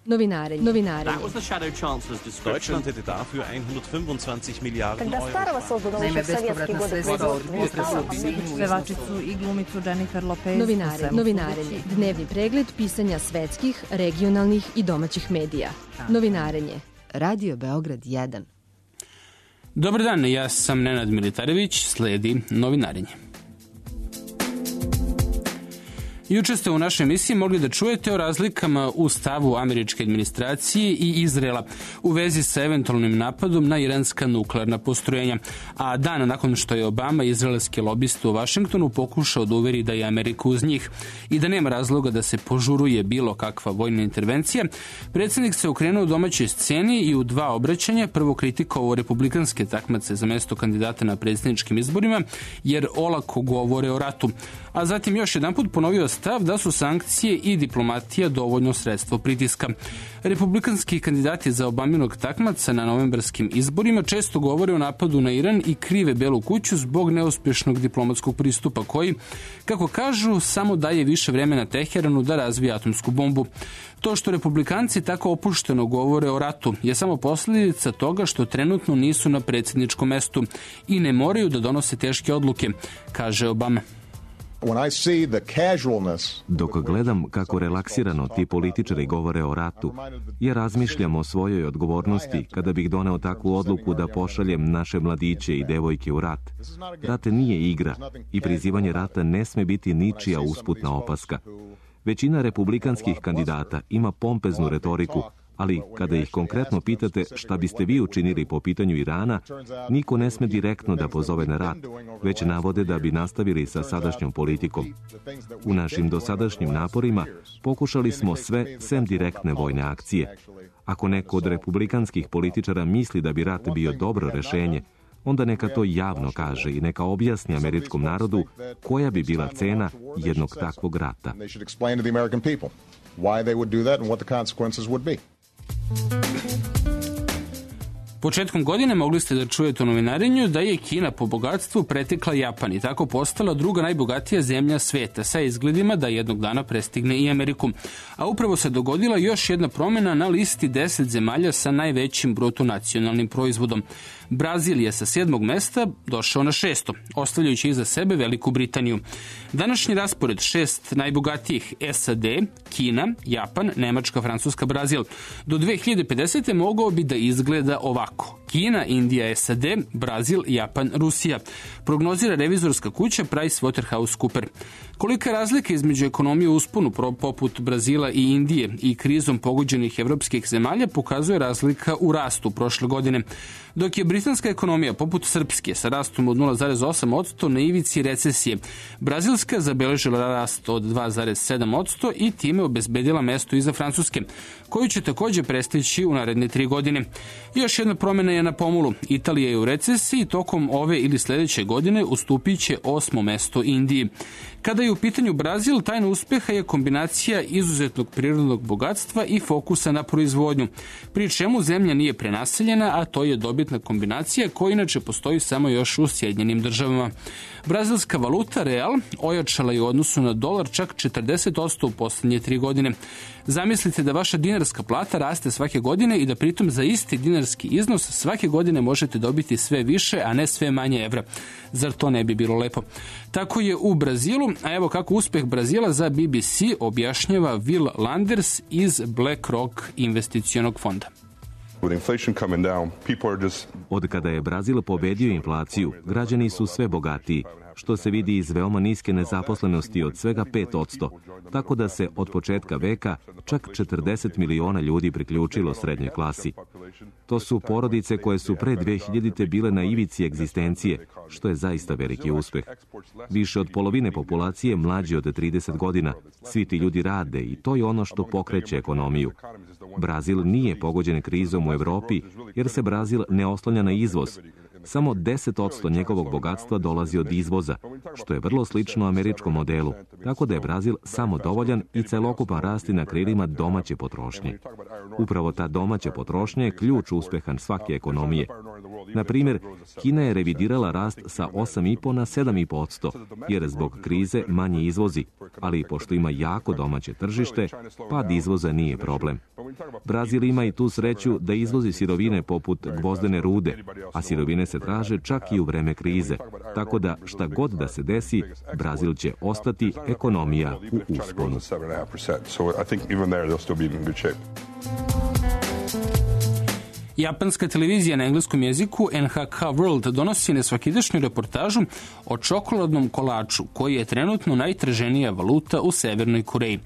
Novinarenje. Deutschland hätte dafür 125 Milijarden Euro. Naime, bespovratna sredstva od pevačicu i glumicu Jennifer Lopez. Novinarenje. Dnevni pregled pisanja svetskih, regionalnih i domaćih medija. Novinarenje. Radio Beograd 1. Dobar dan, ja sam Nenad Militarević, sledi Novinarenje. Juče ste u našoj emisiji mogli da čujete o razlikama u stavu američke administracije i Izraela u vezi sa eventualnim napadom na iranska nuklearna postrojenja, a dan nakon što je Obama izraelski lobista u Vašingtonu pokušao da uveri da je Amerika uz njih i da nema razloga da se požuruje bilo kakva vojna intervencija, predsjednik se okrenuo domaćoj sceni i u dva obraćanja prvo kritikovao republikanske takmace za mesto kandidata na predsjedničkim izborima jer olako govore o ratu, a zatim još jedanput ponovio stav da su sankcije i diplomatija dovoljno sredstvo pritiska. Republikanski kandidati za Obaminog takmaca na novembarskim izborima često govore o napadu na Iran i krive Belu kuću zbog neuspješnog diplomatskog pristupa koji, kako kažu, samo daje više vremena Teheranu da razvije atomsku bombu. To što republikanci tako opušteno govore o ratu je samo posljedica toga što trenutno nisu na predsjedničkom mestu i ne moraju da donose teške odluke, kaže Obama. Dok gledam kako relaksirano ti političari govore o ratu, ja razmišljam o svojoj odgovornosti kada bih doneo takvu odluku da pošaljem naše mladiće i devojke u rat. Rat nije igra i prizivanje rata ne sme biti ničija usputna opaska. Većina republikanskih kandidata ima pompeznu retoriku, ali kada ih konkretno pitate šta biste vi učinili po pitanju Irana, niko ne sme direktno da pozove na rat, već navode da bi nastavili sa sadašnjom politikom. U našim dosadašnjim naporima pokušali smo sve sem direktne vojne akcije. Ako neko od republikanskih političara misli da bi rat bio dobro rešenje, onda neka to javno kaže i neka objasni američkom narodu koja bi bila cena jednog takvog rata. Početkom godine mogli ste da čujete u novinarenju da je Kina po bogatstvu pretekla Japan i tako postala druga najbogatija zemlja sveta sa izgledima da jednog dana prestigne i Ameriku. A upravo se dogodila još jedna promjena na listi 10 zemalja sa najvećim bruto nacionalnim proizvodom. Brazil je sa 7. mesta došao na 6. ostavljajući iza sebe Veliku Britaniju. Današnji raspored 6 najbogatijih SAD, Kina, Japan, Nemačka, Francuska, Brazil do 2050. mogao bi da izgleda ovako. Kina, Indija, SAD, Brazil, Japan, Rusija. Prognozira revizorska kuća PricewaterhouseCoopers. Kolika je razlika između ekonomije u usponu poput Brazila i Indije i krizom pogođenih evropskih zemalja pokazuje razlika u rastu prošle godine. Dok je britanska ekonomija poput srpske sa rastom od 0,8% na ivici recesije, brazilska zabeležila rast od 2,7% i time obezbedila mesto iza Francuske, koju će također prestići u naredne 3 godine. Još jedna promjena je na pomolu. Italija je u recesiji, tokom ove ili sljedeće godine ustupit će 8. mesto Indiji. Kada je u pitanju Brazil, tajna uspjeha je kombinacija izuzetnog prirodnog bogatstva i fokusa na proizvodnju, pri čemu zemlja nije prenaseljena, a to je dobitna kombinacija koja inače postoji samo još u Sjedinjenim Državama. Brazilska valuta real ojačala je u odnosu na dolar čak 40% u posljednje 3 godine. Zamislite da vaša dinarska plata raste svake godine i da pritom za isti dinarski iznos svake godine možete dobiti sve više, a ne sve manje evra. Zar to ne bi bilo lepo? Tako je u Brazilu, a evo kako uspjeh Brazila za BBC objašnjava Will Landers iz BlackRock investicionog fonda. Od kada je Brazil pobedio inflaciju, građani su sve bogatiji, što se vidi iz veoma niske nezaposlenosti od svega 5%, tako da se od početka veka čak 40 miliona ljudi priključilo srednjoj klasi. To su porodice koje su pre 2000. bile na ivici egzistencije, što je zaista veliki uspeh. Više od polovine populacije mlađe od 30 godina. Svi ti ljudi rade i to je ono što pokreće ekonomiju. Brazil nije pogođen krizom u Evropi jer se Brazil ne oslanja na izvoz. Samo 10% njegovog bogatstva dolazi od izvoza, što je vrlo slično američkom modelu, tako da je Brazil samodovoljan i celokupan rasti na krilima domaće potrošnje. Upravo ta domaća potrošnja je ključ uspeha svake ekonomije. Na primjer, Kina je revidirala rast sa 8,5 na 7,5%, jer zbog krize manje izvozi, ali pošto ima jako domaće tržište, pad izvoza nije problem. Brazil ima i tu sreću da izvozi sirovine poput gvozdene rude, a sirovine se traže čak i u vreme krize, tako da šta god da se desi, Brazil će ostati ekonomija u usponu. Japanska televizija na engleskom jeziku NHK World donosi nesvakidašnju reportažu o čokoladnom kolaču, koji je trenutno najtraženija valuta u Severnoj Koreji.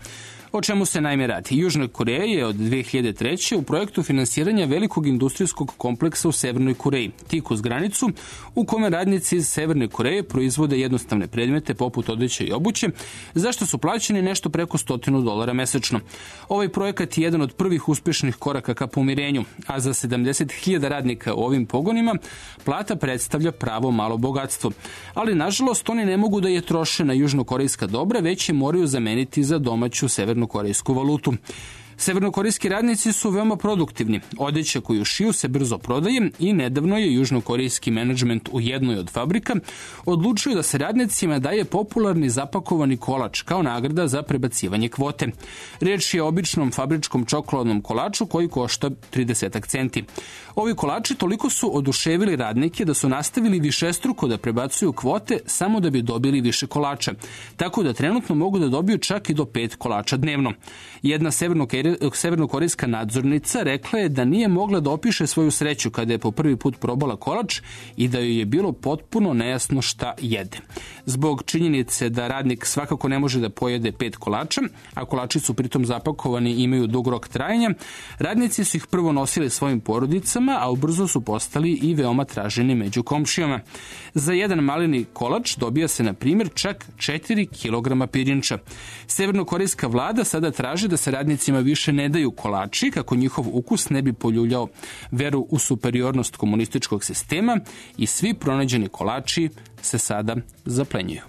O čemu se naime radi? Južna Koreja je od 2003. u projektu finansiranja velikog industrijskog kompleksa u Severnoj Koreji, tik uz granicu, u kome radnici iz Severne Koreje proizvode jednostavne predmete poput odeće i obuće, zašto su plaćeni nešto preko $100 mesečno. Ovaj projekat je jedan od prvih uspješnih koraka ka pomirenju, a za 70.000 radnika u ovim pogonima plata predstavlja pravo malo bogatstvo. Ali, nažalost, oni ne mogu da je troše na južnokorejska dobra, već je moraju zameniti za domaću severnokorejsku valutu. Severnokorejski radnici su veoma produktivni. Odeća koju šiju se brzo prodaje i nedavno je južnokorejski menadžment u jednoj od fabrika odlučio da se radnicima daje popularni zapakovani kolač kao nagrada za prebacivanje kvote. Riječ je o običnom fabričkom čokoladnom kolaču koji košta 30 centi. Ovi kolači toliko su oduševili radnike da su nastavili višestruko da prebacuju kvote samo da bi dobili više kolača, tako da trenutno mogu da dobiju čak i do 5 kolača dnevno. Jedna severnokorejska nadzornica rekla je da nije mogla da opiše svoju sreću kada je po prvi put probala kolač i da joj je bilo potpuno nejasno šta jede. Zbog činjenice da radnik svakako ne može da pojede 5 kolača, a kolači su pritom zapakovani i imaju dug rok trajanja, radnici su ih prvo nosili svojim porodicama, a ubrzo su postali i veoma traženi među komšijama. Za jedan maleni kolač dobija se, na primjer, čak 4 kg pirinča. Severnokorejska vlada sada traži da se radnicima više ne daju kolači kako njihov ukus ne bi poljuljao veru u superiornost komunističkog sistema i svi pronađeni kolači se sada zaplenjuju.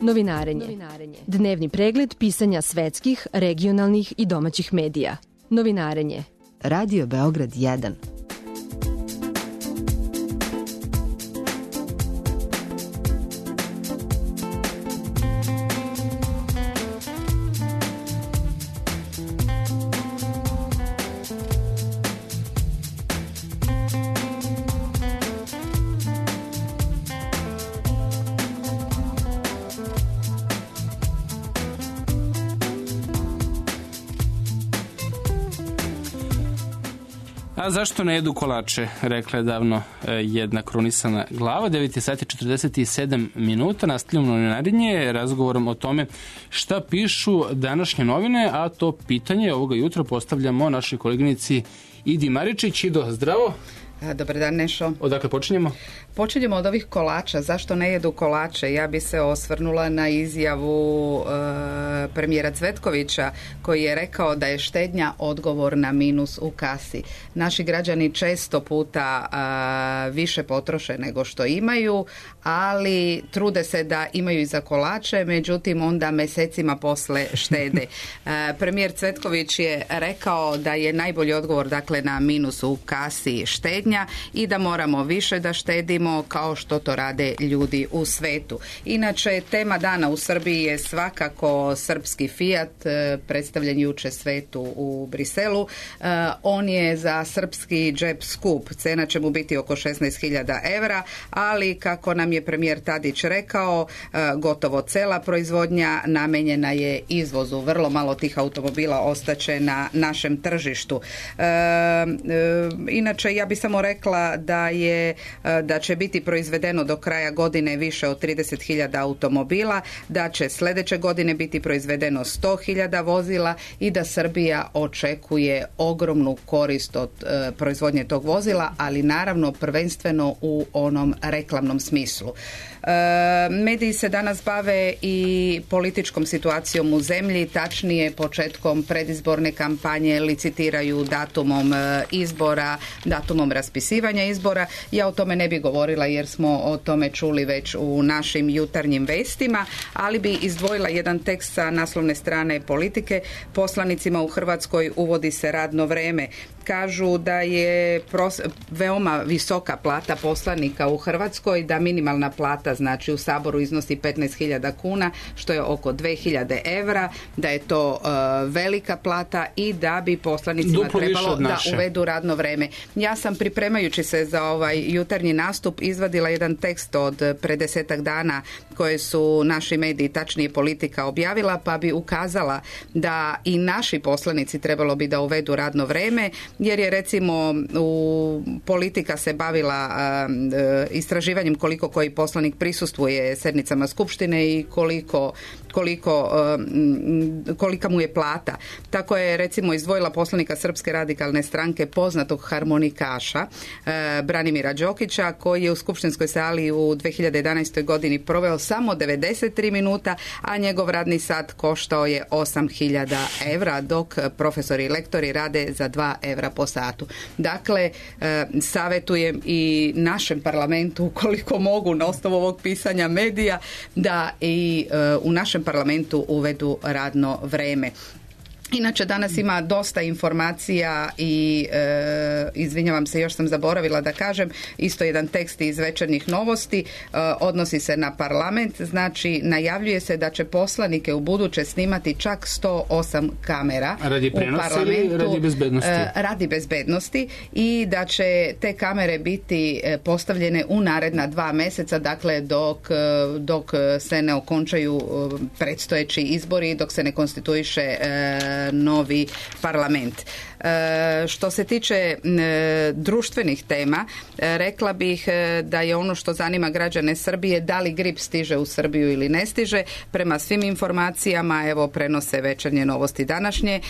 Novinarenje. Dnevni pregled pisanja svetskih, regionalnih i domaćih medija. Novinarenje. Radio Beograd 1. A zašto ne jedu kolače, rekla je davno jedna krunisana glava. 9:47 nastavljamo novinarenje razgovorom o tome šta pišu današnje novine, a to pitanje ovoga jutra postavljamo našoj koleginici Idi Maričić. Ido, zdravo. Dobar dan, Nešo. Odakle počinjemo? Počinjemo od ovih kolača. Zašto ne jedu kolače? Ja bi se osvrnula na izjavu premijera Cvetkovića koji je rekao da je štednja odgovor na minus u kasi. Naši građani često puta više potroše nego što imaju, ali trude se da imaju i za kolače, međutim onda mesecima posle štede. Premijer Cvetković je rekao da je najbolji odgovor dakle na minus u kasi štednja i da moramo više da štedimo kao što to rade ljudi u svetu. Inače, tema dana u Srbiji je svakako srpski Fiat, predstavljen juče svetu u Briselu. On je za srpski džep skup, cena će mu biti oko 16.000 evra, ali kako nam je premijer Tadić rekao, gotovo cela proizvodnja namenjena je izvozu. Vrlo malo tih automobila ostaće na našem tržištu. Inače, ja bih samo rekla da će biti proizvedeno do kraja godine više od 30.000 automobila, da će sljedeće godine biti proizvedeno 100.000 vozila i da Srbija očekuje ogromnu korist od proizvodnje tog vozila, ali naravno prvenstveno u onom reklamnom smislu. Mediji se danas bave i političkom situacijom u zemlji, tačnije početkom predizborne kampanje, licitiraju datumom izbora, datumom raspisivanja raspisivanja izbora. Ja o tome ne bi govorila jer smo o tome čuli već u našim jutarnjim vestima, ali bi izdvojila jedan tekst sa naslovne strane Politike. Poslanicima u Hrvatskoj uvodi se radno vreme. Kažu da je veoma visoka plata poslanika u Hrvatskoj, da minimalna plata znači u Saboru iznosi 15.000 kuna, što je oko 2.000 evra, da je to velika plata i da bi poslanicima trebalo da uvedu radno vreme. Ja sam pripremajući se za ovaj jutarnji nastup izvadila jedan tekst od pre 10-ak dana koje su naši mediji, tačnije Politika, objavila, pa bi ukazala da i naši poslanici trebalo bi da uvedu radno vreme, jer je recimo Politika se bavila istraživanjem koliko koji poslanik prisustvuje sednicama Skupštine i kolika mu je plata. Tako je recimo izdvojila poslanika Srpske radikalne stranke, poznatog harmonikaša Branimira Đokića, koji je u skupštinskoj sali u 2011. godini proveo samo 93 minuta, a njegov radni sat koštao je 8.000 evra, dok profesori i lektori rade za 2 evra po satu. Dakle, savjetujem i našem parlamentu, ukoliko mogu na osnovu ovog pisanja medija, da i u našem parlamentu uvedu radno vreme. Inače, danas ima dosta informacija i izvinjavam se, još sam zaboravila da kažem, isto jedan tekst iz Večernjih novosti, odnosi se na parlament, znači najavljuje se da će poslanike u buduće snimati čak 108 kamera radi u parlamentu. Radi bezbednosti? Radi bezbednosti i da će te kamere biti postavljene u naredna 2 mjeseca, dakle dok se ne okončaju predstojeći izbori, dok se ne konstituiše novi parlament. Što se tiče društvenih tema, rekla bih da je ono što zanima građane Srbije, da li grip stiže u Srbiju ili ne stiže. Prema svim informacijama, evo prenose Večernje novosti današnje,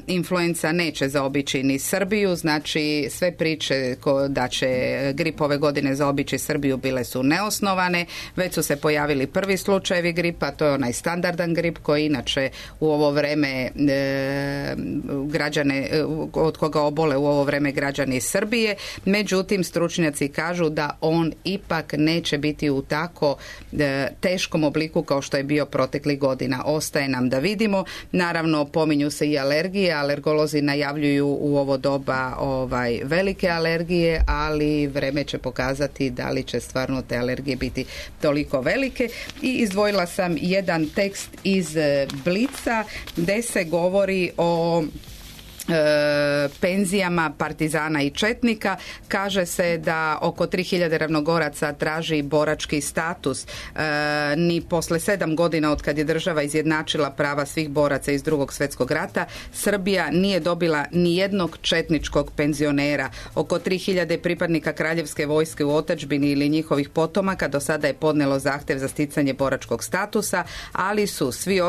influenca neće zaobići ni Srbiju, znači sve priče da će grip ove godine zaobići Srbiju bile su neosnovane, već su se pojavili prvi slučajevi gripa, to je onaj standardan grip koji inače u ovo vreme građane, od koga obole u ovo vreme građani Srbije. Međutim, stručnjaci kažu da on ipak neće biti u tako teškom obliku kao što je bio proteklih godina. Ostaje nam da vidimo. Naravno, pominju se i alergije. Alergolozi najavljuju u ovo doba velike alergije, ali vreme će pokazati da li će stvarno te alergije biti toliko velike. I izdvojila sam jedan tekst iz Blica gdje se govori o penzijama partizana i četnika. Kaže se da oko 3000 ravnogoraca traži borački status. Ni posle 7 godina od kad je država izjednačila prava svih boraca iz Drugog svjetskog rata, Srbija nije dobila ni jednog četničkog penzionera. Oko 3000 pripadnika kraljevske vojske u otadžbini ili njihovih potomaka do sada je podnelo zahtjev za sticanje boračkog statusa, ali su svi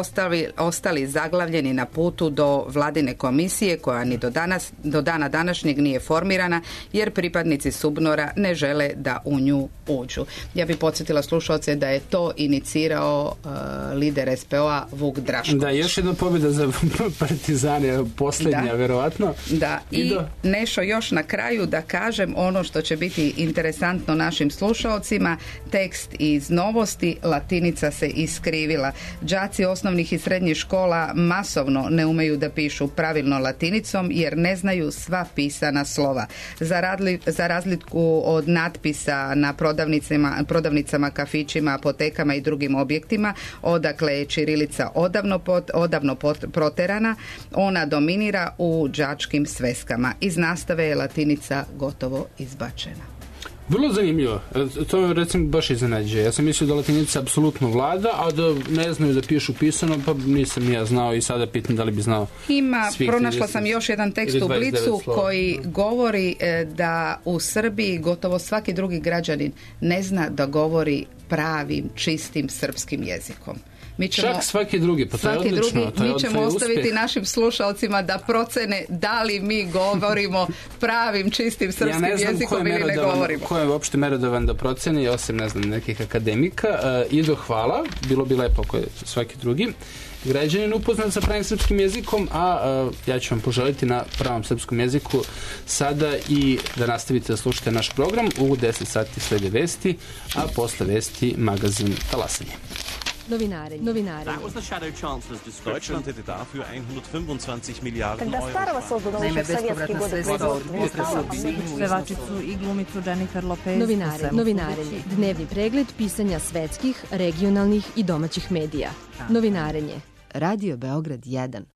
ostali zaglavljeni na putu do vladine komisije koja ni do dana današnjeg nije formirana, jer pripadnici SUBNOR-a ne žele da u nju uđu. Ja bih podsjetila slušalce da je to inicirao lider SPO-a Vuk Drašković. Da, još jedna pobjeda za partizane, posljednja, verovatno. Da, i Nešo, još na kraju da kažem ono što će biti interesantno našim slušalcima, tekst iz Novosti, latinica se iskrivila. Đaci osnovnih i srednjih škola masovno ne umeju da pišu pravilno latinicom jer ne znaju sva pisana slova. Za razliku od natpisa na prodavnicama, kafićima, apotekama i drugim objektima, odakle je ćirilica odavno proterana, ona dominira u đačkim sveskama. Iz nastave je latinica gotovo izbačena. Vrlo zanimljivo. To me recimo baš iznenađuje. Ja sam mislio da latinica apsolutno vlada, a da ne znaju da pišu pisano, pa nisam ja znao i sada pitam da li bi znao. Pronašla sam još jedan tekst u Blicu koji govori da u Srbiji gotovo svaki drugi građanin ne zna da govori pravim, čistim srpskim jezikom. Čak svaki drugi, pa to je odlično. Mi ćemo ostaviti našim slušalcima da procene da li mi govorimo pravim, čistim srpskim jezikom ili ne govorimo. Ko je uopšte merodavan da proceni, osim, ne znam, nekih akademika. Ido, hvala. Bilo bi lepo ako je svaki drugi. građanin upoznat sa pravim srpskim jezikom, a ja ću vam poželiti na pravom srpskom jeziku sada i da nastavite da slušate naš program. U 10 sati slede vesti, a posle vesti magazin Talasanje. Novinare. Deutschland hätte dafür 125 Milliarden Euro. Naime, bespovratna sredstva od pevačicu i glumicu Jennifer Lopez. Novinarenje. Dnevni pregled pisanja svetskih, regionalnih i domaćih medija. Novinarenje. Radio Beograd 1.